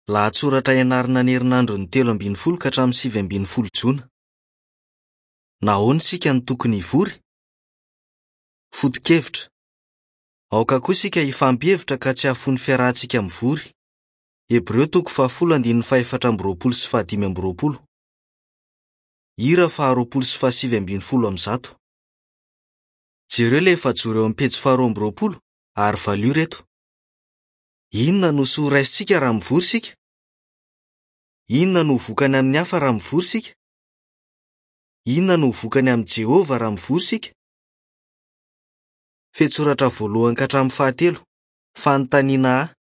Lahatsoratra ianarana ny herinandron'ny 13 ka hatramin'ny 19 jona. Nahoana isika no tokony hivory? Foto-kevitra, Aoka koa isika hifampihevitra ka tsy hahafoy ny fiarahantsika mivory. Hebreo toko fahafolo andininy faha-24 sy faha-25. Hira faharoapolo sy faha-219. Jereo ilay efajoro eo amin'ny pejy faha-22 ary valio ireto. Inona no soa horaisintsika raha mivory isika? Inona no ho vokany amin'ny hafa raha mivory isika? Inona no ho vokany amin'i Jehovah raha mivory isika? Fehintsoratra voalohany ka hatramin'ny fahatelo. Fanontaniana A.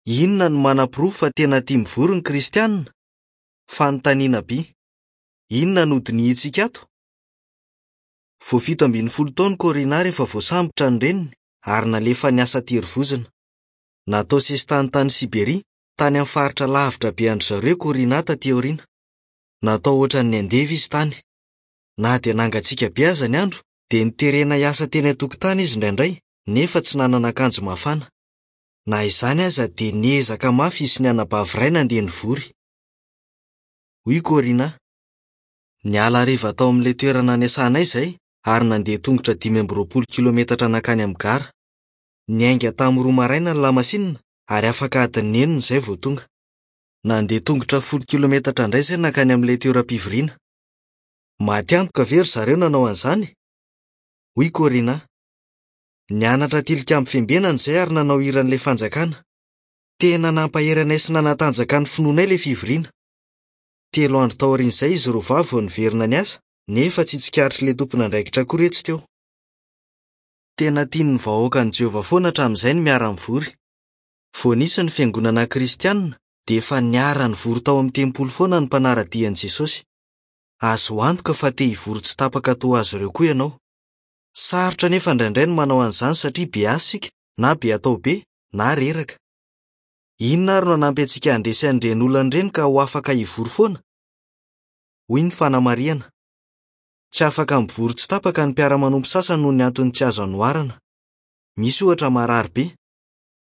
Inona no manaporofo fa tena tia mivory ny Kristianina? Fanontaniana B. Inona no hodinihintsika ato? Vao 17 taona i Corinna rehefa voasambotra ny reniny ary nalefa niasa an-terivozona. Natao sesitany tany Siberia, tany amin'ny faritra lavitra be an-dry zareo i Corinna tatỳ aoriana. Natao hoatran'ny andevo izy tany. Na dia nangatsiaka be aza ny andro, dia noterena hiasa teny an-tokotany izy indraindray, nefa tsy nanana akanjo mafana. Na izany aza, dia niezaka mafy izy sy ny anabavy iray nandeha nivory. Hoy i Corinna, Niala hariva tao amin'ilay toerana niasanay izahay ary nandeha tongotra 25 kilometatra nankany amin'ny gara. Niainga tamin'ny 2 maraina ny lamasinina ary afaka adiny enina izay vao tonga. Nandeha tongotra 10 kilometatra indray izahay nankany amin'ilay toeram-pivoriana. Maty antoka ve ry zareo nanao an'izany? Hoy i Corinna. Nianatra Tilikambo Fiambenana izahay ary nanao hiran'ilay Fanjakana. Tena nampahery anay sy nanatanjaka ny finoanay ilay fivoriana. Telo andro taorian'izay izy roa vavy vao niverina niasa, nefa tsy tsikaritr'ilay tompon'andraikitra akory hoe tsy teo. Tena tian'ny vahoakan'i Jehovah foana hatramin'izay ny miara-mivory. Vao nisy ny fiangonana kristianina, dia efa niara-nivory tao amin'ny tempoly foana ny mpanara-dia an'i Jesosy. Azo antoka fa te hivory tsy tapaka toa azy ireo koa ianao. Sarotra anefa indraindray ny manao an'izany satria be asa isika, na be atao be, na reraka. Inona àry no hanampy antsika handresy an'ireny olana ireny ka ho afaka hivory foana? Hoy ny fanamarihana. Tsy afaka mivory tsy tapaka ny mpiara-manompo sasany noho ny antony tsy azo anoharana. Misy, ohatra, marary be.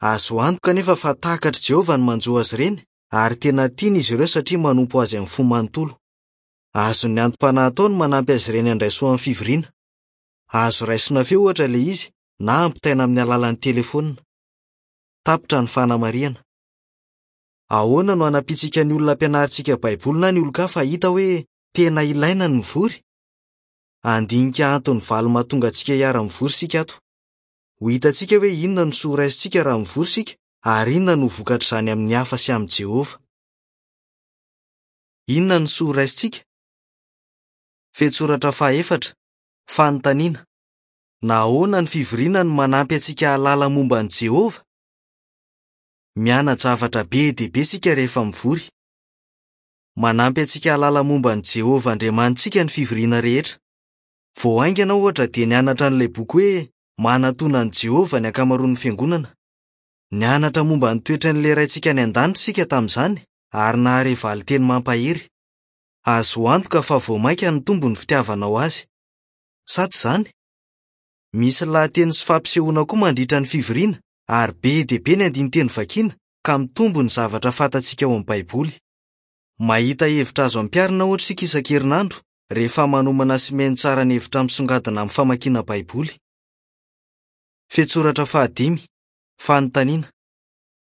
Azo antoka anefa fa takatr'i Jehovah ny manjo azy ireny, ary tena tiany izy ireo satria manompo azy amin'ny fo manontolo. Azon'ny anti-panahy atao ny manampy azy ireny handray soa amin'ny fivoriana. Azo raisina feo, ohatra, ilay izy, na ampitaina amin'ny alalan'ny telefaonina. Tapitra ny fanamarihana. Ahoana no hanampiantsika ny olona ampianarintsika Baiboly na ny olon-kafa hahita hoe tena ilaina ny mivory? Handinika antony valo mahatonga antsika hiara-mivory isika ato. Ho hitantsika hoe inona no soa raisintsika raha mivory isika ary inona no ho vokatr'izany amin'ny hafa sy amin'i Jehovah. Inona no soa raisintsika? Fehintsoratra fahaefatra, Fanontaniana, Nahoana ny fivoriana no manampy antsika hahalala momba an'i Jehovah? Miana-javatra be dia be isika rehefa mivory. Manampy antsika hahalala momba an'i Jehovah Andriamanitsika ny fivoriana rehetra. Vao haingana, ohatra, dia nianatra an'ilay boky hoe Manatòna An'i Jehovah ny ankamaroan'ny fiangonana. Nianatra momba ny toetran'ilay Raintsika any an-danitra isika tamin'izany, ary nahare valin-teny mampahery. Azo antoka fa vao mainka nitombo ny fitiavanao azy. Sa tsy izany? Misy lahateny sy fampisehoana koa mandritra ny fivoriana, ary be dia be ny andinin-teny vakina, ka mitombo ny zavatra fantatsika ao amin'ny Baiboly. Mahita hevitra azo ampiharina, ohatra, isika isan-kerinandro, rehefa manomana sy mihaino tsara ny hevitra misongadina amin'ny famakiana Baiboly. Fehintsoratra fahadimy, Fanontaniana,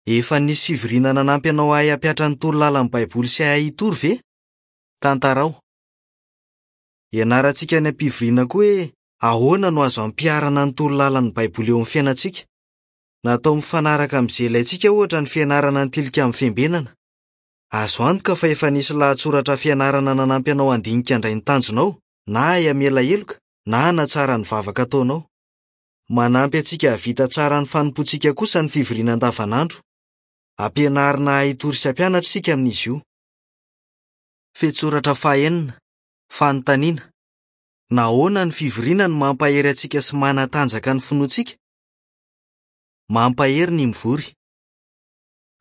Efa nisy fivoriana nanampy anao hahay hampihatra ny toro lalan'ny Baiboly sy hahay hitory ve? Tantarao. Ianarantsika any am-pivoriana koa hoe ahoana no azo ampiharana ny toro lalan'ny Baiboly eo amin'ny fiainantsika. Natao mifanaraka amin'izay ilaintsika, ohatra, ny fianarana ny Tilikambo Fiambenana. Azo antoka fa efa nisy lahatsoratra fianarana nanampy anao handinika indray ny tanjonao, na hahay hamela heloka, na hanatsara ny vavaka ataonao. Manampy antsika hahavita tsara ny fanompoantsika kosa ny fivoriana andavanandro. Ampianarina hahay hitory sy hampianatra isika amin'izy io. Fehintsoratra fahenina, Fanontaniana, Nahoana ny fivoriana no mampahery antsika sy manatanjaka ny finoantsika? Mampahery ny mivory.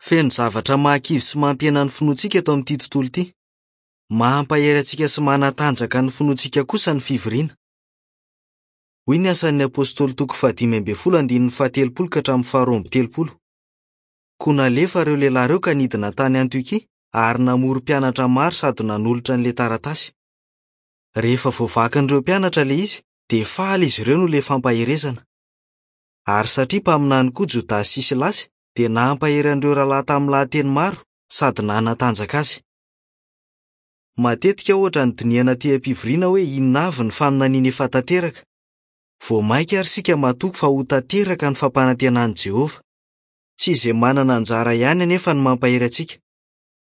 Feno zavatra mahakivy sy mampihena ny finoantsika eto amin'ity tontolo ity. Mampahery antsika sy manatanjaka ny finoantsika kosa ny fivoriana. Hoy ny Asan'ny Apostoly toko fahadimy ambin'ny folo andininy faha telopolo ka hatramin'ny faha 32. Koa nalefa ireo lehilahy ireo ka nidina tany Antiokia ary namory mpianatra maro sady nanolotra an'ilay taratasy. Rehefa voavakin'ireo mpianatra ilay izy, dia faly izy ireo noho ilay fampaherezana. Ary satria mpaminany koa Jodasy sy Silasy, dia nampahery an'ireo rahalahy tamin'ny lahateny maro sady nanatanjaka azy. Matetika, ohatra, no dinihana atỳ am-pivoriana hoe inona avy ny faminaniana efa tanteraka. Vao mainka àry isika matoky fa ho tanteraka ny fampanantenan'i Jehovah. Tsy izay manana anjara ihany anefa no mampahery antsika.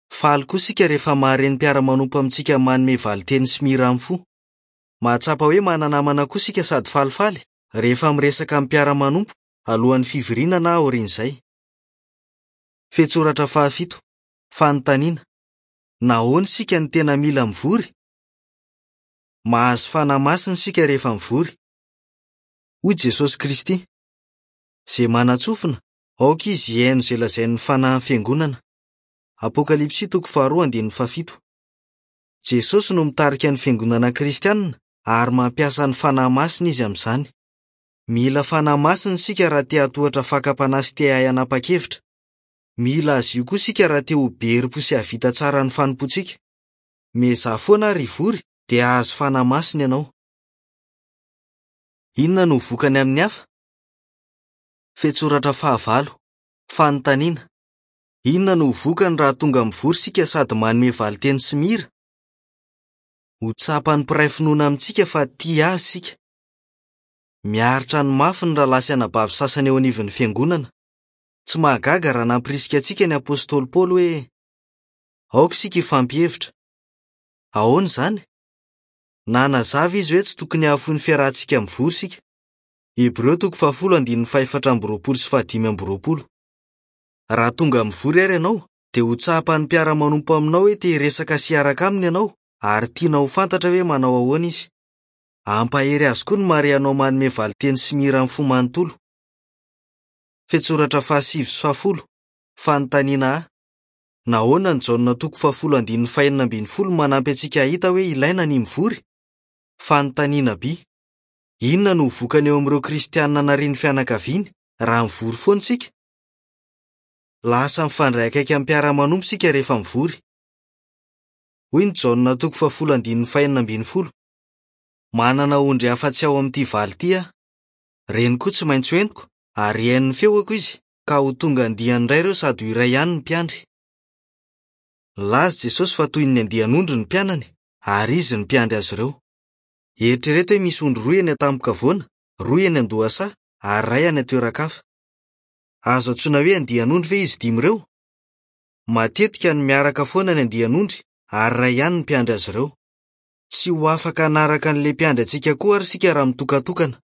Faly koa isika rehefa mahare ny mpiara-manompo amintsika manome valin-teny sy mihira amin'ny fo. Mahatsapa hoe mana-namana koa isika sady falifaly, rehefa miresaka amin'ny mpiara-manompo, alohan'ny fivoriana na aorian'izay. Fehintsoratra fahafito, Fanontaniana, Nahoana isika no tena mila mivory? Mahazo fanahy masina isika rehefa mivory. Hoy Jesosy Kristy, Izay manan-tsofina, aoka izy hihaino izay lazain'ny fanahin'ny fiangonana. Apokalypsy toko faharoa andininy fahafito. Jesosy no mitarika ny fiangonana kristianina ary mampiasa ny fanahy masina izy amin'izany. Mila fanahy masina isika raha te hahatohatra fakam-panahy sy te hahay hanapa-kevitra. Mila azy io koa isika raha te ho be herim-po sy hahavita tsara ny fanompoantsika. Miezaha foana àry hivory dia hahazo fanahy masina ianao. Inona no ho vokany amin'ny hafa? Fehintsoratra fahavalo. Fanontaniana, Inona no ho vokany raha tonga mivory isika sady manome valin-teny sy mihira? Ho tsapan'ny mpiray finoana amintsika fa tia azy isika. Miaritra ny mafy ny rahalahy sy anabavy sasany eo anivon'ny fiangonana. Tsy mahagaga raha nampirisika antsika ny apostoly Paoly hoe, Aoka isika hifampihevitra. Ahoana izany? Nanazava izy hoe tsy tokony hahafoy ny fiarahantsika mivory isika. Hebreo toko fahafolo andininy fahefatra amby roapolo sy fahadimy amby roapolo. Raha tonga mivory àry ianao, dia ho tsapan'ny mpiara-manompo aminao hoe te hiresaka sy hiaraka aminy ianao, ary tianao ho fantatra hoe manao ahoana izy. Hampahery azy koa ny mahare anao manome valin-teny sy mihira amin'ny fo manontolo. Fehintsoratra fahasivy sy fahafolo, Fanontaniana A, Nahoana ny Jaona toko fahafolo andininy fahenina ambin'ny folo no manampy antsika hahita hoe ilaina ny mivory? Fanontaniana B, Inona no ho vokany eo amin'ireo Kristianina narian'ny fianakaviany raha mivory foana isika? Lasa mifandray akaiky amin'ny mpiara-manompo isika rehefa mivory. Hoy ny Jaona toko fahafolo andininy fahenina ambin'ny folo, Manana ondry hafa tsy ao amin'ity valy ity aho. Ireny koa tsy maintsy hoentiko, ary hihaino ny feoko izy, ka ho tonga andiany iray ireo sady ho iray ihany ny mpiandry. Nilaza Jesosy fa toy ny andian'ondry ny mpianany, ary izy no mpiandry azy ireo. Eritrereto hoe misy ondry roa eny an-tampon-kavoana, roa eny an-dohasaha, ary iray any an-toeran-kafa. Azo antsoina hoe andian'ondry ve izy dimy ireo? Matetika no miaraka foana ny andian'ondry ary iray ihany ny mpiandry azy ireo. Tsy ho afaka hanaraka an'ilay mpiandry antsika koa àry isika raha mitokantokana.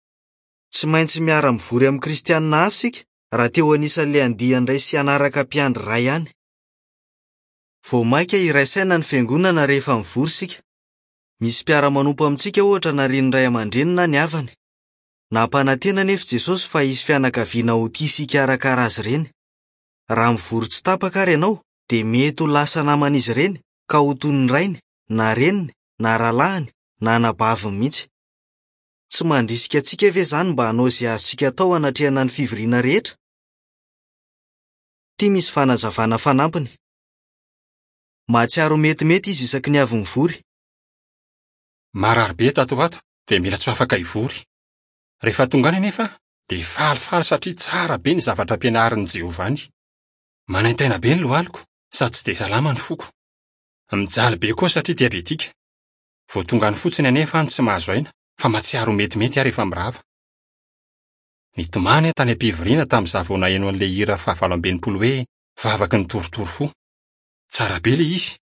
Tsy maintsy miara-mivory amin'ny Kristianina hafa isika raha te ho anisan'ilay andiany iray sy hanaraka mpiandry iray ihany. Vao mainka hiray saina ny fiangonana rehefa mivory isika. Misy mpiara-manompo amintsika, ohatra, narian'ny ray aman-dreniny na ny havany. Nampanantena anefa Jesosy fa hisy fianakaviana ho tia sy hikarakara azy ireny. Raha mivory tsy tapaka àry ianao, dia mety ho lasa naman'izy ireny, ka ho toy ny rainy, na reniny, na rahalahiny, na anabaviny mihitsy. Tsy mandrisika antsika ve izany mba hanao izay azontsika atao hanatrehana ny fivoriana rehetra? Ity misy fanazavana fanampiny. Mahatsiaro metimety izy isaky ny avy mivory. Marary be tato ho ato dia mila tsy ho afaka hivory. Rehefa tonga any anefa aho dia falifaly satria tsara be ny zavatra ampianarin'i Jehovah any. Manaintaina be ny lohaliko sady tsy dia salama ny foko. Mijaly be koa satria diabetika. Vao tonga any fotsiny anefa aho no tsy mahazo aina fa mahatsiaro ho metimety aho rehefa mirava. Nitomany aho tany am-pivoriana tamin'izaho vao naheno an'ilay hira fahavalo amby enimpolo hoe Vavaky ny torotoro fo. Tsara be ilay izy.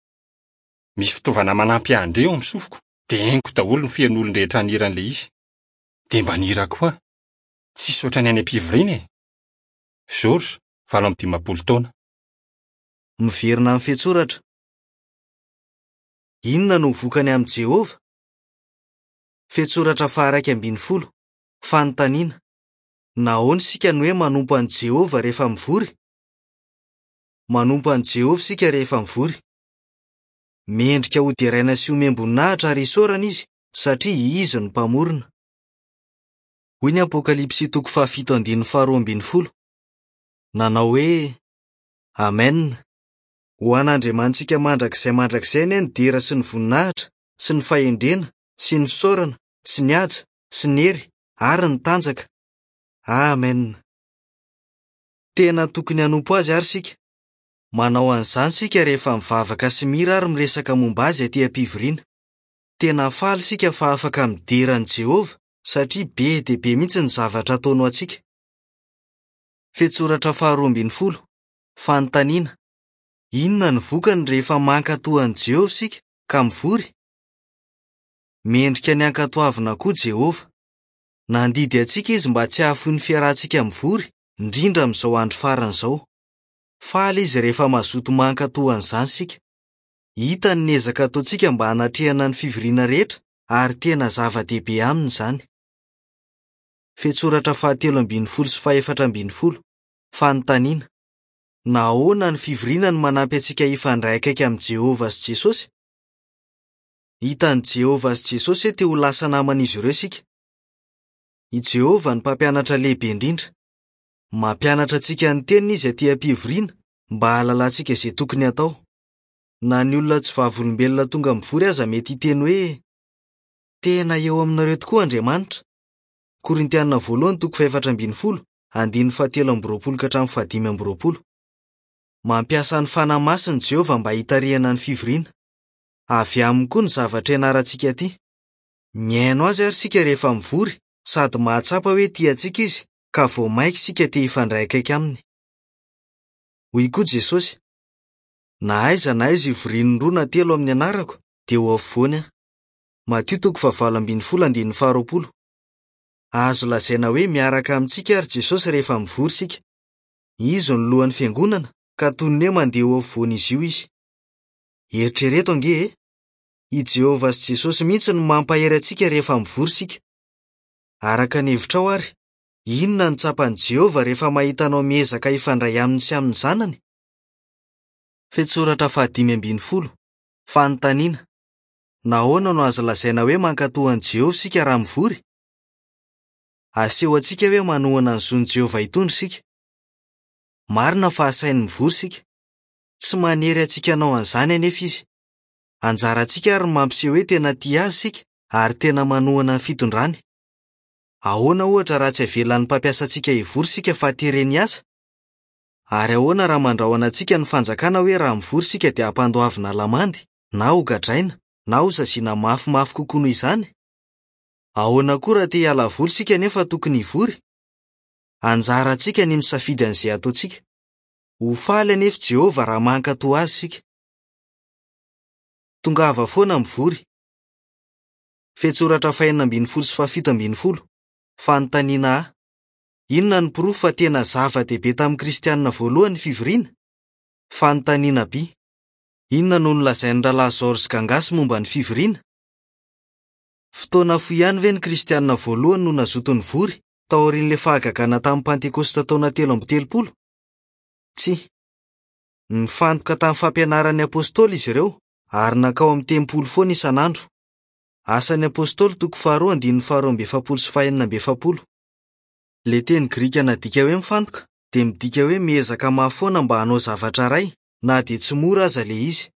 Misy fitaovana manampy ahy handre ao amin'ny sofiko dia henoko daholo ny feon'olon-drehetra nihira an'ilay izy. Dia mba nihira koa aho. Tsisy ohatran'ny any am-pivoriana e! Georges, 58 taona. Miverina amin'ny fehintsoratra. Inona no vokany amin'i Jehovah? Fehintsoratra faha-11. Fanontaniana, Nahoana isika no hoe manompo an'i Jehovah rehefa mivory? Manompo an'i Jehovah isika rehefa mivory. Mendrika hoderaina sy homem-boninahitra ary isaorana izy, satria izy no Mpamorona. Hoy ny Apokalypsy toko fahafito andininy faharoa ambin'ny folo, Nanao hoe. Amena. Ho an'Andriamanitsika mandrakizay mandrakizay anie ny dera sy ny voninahitra sy ny fahendrena sy ny fisaorana sy ny haja sy ny hery ary ny tanjaka. Amena. Tena tokony hanompo azy àry isika. Manao an'izany isika rehefa mivavaka sy mihira ary miresaka momba azy atỳ am-pivoriana. Tena faly isika fa afaka midera an'i Jehovah satria be dia be mihitsy ny zavatra ataony ho antsika. Fehintsoratra faharoa ambin'ny folo, Fanontaniana, Inona no vokany rehefa mankatò an'i Jehovah isika ka mivory? Mendrika ny hankatoavina koa Jehovah. Nandidy antsika izy mba tsy hahafoy ny fiarahantsika mivory, indrindra amin'izao andro farany izao. Faly izy rehefa mazoto mankatò an'izany isika. Hitany ny ezaka ataontsika mba hanatrehana ny fivoriana rehetra ary tena zava-dehibe aminy izany. Fehintsoratra fahatelo ambin'ny folo sy fahefatra ambin'ny folo, Fanontaniana, Nahoana ny fivoriana no manampy antsika hifandray akaiky amin'i Jehovah sy Jesosy? Hitan'i Jehovah sy Jesosy hoe te ho lasa naman'izy ireo isika. I Jehovah no Mpampianatra lehibe indrindra. Mampianatra antsika ny Teniny izy atỳ am-pivoriana mba hahalalantsika izay tokony hatao. Na ny olona tsy Vavolombelona tonga mivory aza mety hiteny hoe, Tena eo aminareo tokoa Andriamanitra. Korintiana voalohany toko fahefatra ambin'ny folo, andininy fahatelo amby roapolo ka hatramin'ny fahadimy amby roapolo. Mampiasa ny fanahy masiny Jehovah mba hitarihana ny fivoriana. Avy aminy koa ny zavatra ianarantsika atỳ. Mihaino azy àry isika rehefa mivory sady mahatsapa hoe tia antsika izy, ka vao mainka isika te hifandray akaiky aminy. Hoy koa Jesosy, Na aiza na aiza ivorian'ny roa na telo amin'ny anarako, dia ho afovoany aho. Matio toko fahavalo ambin'ny folo andininy faharoapolo. Azo lazaina hoe miaraka amintsika àry Jesosy rehefa mivory isika. Izy no lohan'ny fiangonana, ka toy ny hoe mandeha eo afovoan'izy io izy. Eritrereto ange e! I Jehovah sy Jesosy mihitsy no mampahery antsika rehefa mivory isika. Araka ny hevitrao àry, inona no tsapan'i Jehovah rehefa mahita anao miezaka hifandray aminy sy amin'ny Zanany? Fehintsoratra fahadimy ambin'ny folo, Fanontaniana, Nahoana no azo lazaina hoe mankatò an'i Jehovah isika raha mivory? Aseho antsika hoe manohana ny zon'i Jehovah hitondra isika. Marina fa asainy mivory isika. Tsy manery antsika hanao an'izany anefa izy. Anjarantsika àry ny mampiseho hoe tena tia azy isika ary tena manohana ny fitondrany. Ahoana, ohatra, raha tsy avelan'ny mpampiasa antsika hivory isika fa tereny hiasa? Ary ahoana raha mandrahona antsika ny fanjakana hoe raha mivory isika dia hampandoavina lamandy, na hogadraina, na hosaziana mafimafy kokoa noho izany? Ahoana koa raha te hiala voly isika nefa tokony hivory? Anjarantsika ny misafidy an'izay hataontsika. Ho faly anefa Jehovah raha mankatò azy isika. Tongava foana mivory. Fehintsoratra fahenina ambin'ny folo sy fahafito ambin'ny folo, Fanontaniana A. Inona no porofo fa tena zava-dehibe tamin'ny Kristianina voalohany ny fivoriana? Fanontaniana B. Inona no nolazain'ny Rahalahy George Gangas momba ny fivoriana? Fotoana fohy ihany ve ny Kristianina voalohany no nazoto nivory, taorian'ilay fahagagana tamin'ny Pantekosta taona 33? Tsia. Nifantoka tamin'ny fampianaran'ny apostoly izy ireo, ary nankao amin'ny tempoly foana isan'andro. Asan'ny Apostoly toko faharoa andininy faharoa amby efapolo sy fahenina amby efapolo. Ilay teny grika nadika hoe mifantoka dia midika hoe miezaka mafy foana mba hanao zavatra iray, na dia tsy mora aza ilay izy.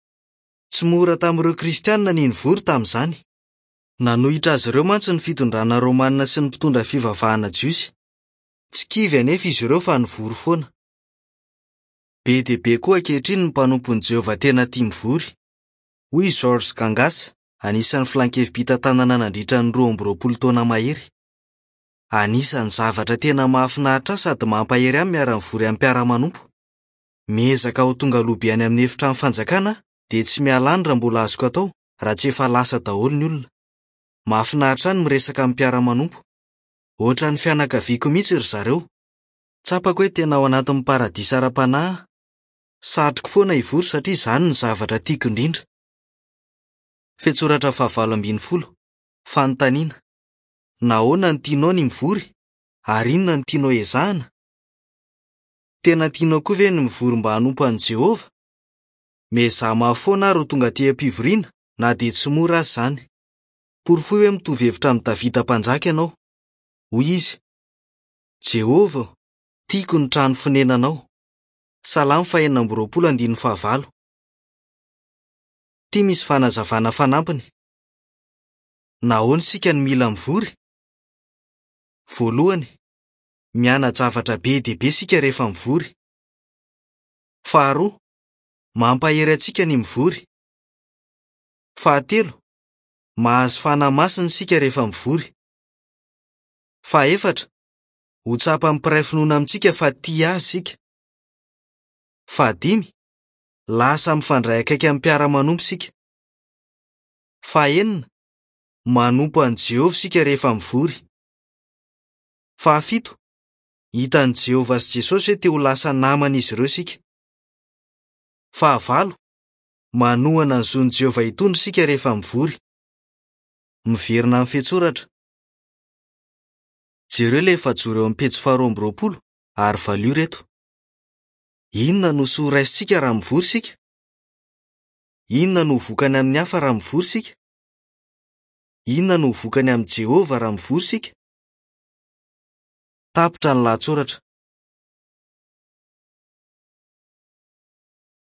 Tsy mora tamin'ireo Kristianina ny nivory tamin'izany. Nanohitra azy ireo mantsy ny fitondrana romanina sy ny mpitondra fivavahana jiosy. Tsy kivy anefa izy ireo fa nivory foana. Be dia be koa ankehitriny ny mpanompon'i Jehovah tena tia mivory. Hoy i George Gangas, anisan'ny Filan-kevi-pitantanana nandritra ny 22 taona mahery, Anisan'ny zavatra tena mahafinaritra ahy sady mampahery ahy ny miara-mivory amin'ny mpiara-manompo. Miezaka ho tonga aloha be any amin'ny Efitrano Fanjakana aho, dia tsy miala any raha mbola azoko atao, raha tsy efa lasa daholo ny olona. Mahafinaritra ahy ny miresaka amin'ny mpiara-manompo. Hoatran'ny fianakaviako mihitsy ry zareo. Tsapako hoe tena ao anatin'ny paradisa ara-panahy aho. Satriko foana hivory satria izany no zavatra tiako indrindra. Fehintsoratra fahavalo ambin'ny folo, Fanontaniana, Nahoana no tianao ny mivory? Ary inona no tianao ezahina? Tena tianao koa ve ny mivory mba hanompo an'i Jehovah? Miezaha mafy foana àry ho tonga aty am-pivoriana, na dia tsy mora aza izany. Porofoy hoe mitovy hevitra amin'i Davida Mpanjaka ianao. Hoy izy, Jehovah ô, tiako ny trano fonenanao. Salamo faha-26 andininy fahavalo. Ity misy fanazavana fanampiny. Nahoana isika no mila mivory? Voalohany, miana-javatra be dia be isika rehefa mivory. Faharoa, mampahery antsika ny mivory. Fahatelo, mahazo fanahy masina isika rehefa mivory. Fahefatra, ho tsapan'ny mpiray finoana amintsika fa tia azy isika. Fahadimy, lasa mifandray akaiky amin'ny mpiara-manompo isika. Fahenina, manompo an'i Jehovah isika rehefa mivory. Fahafito, hitan'i Jehovah sy Jesosy hoe te ho lasa naman'izy ireo isika. Fahavalo, manohana ny zon'i Jehovah hitondra isika rehefa mivory. Miverina amin'ny fehintsoratra. Jereo ilay efajoro eo amin'ny pejy faharoa amby roapolo ary valio ireto. Inona no soa raisintsika raha mivory isika? Inona no ho vokany amin'ny hafa raha mivory isika? Inona no ho vokany amin'i Jehovah raha mivory isika? Tapitra ny lahatsoratra.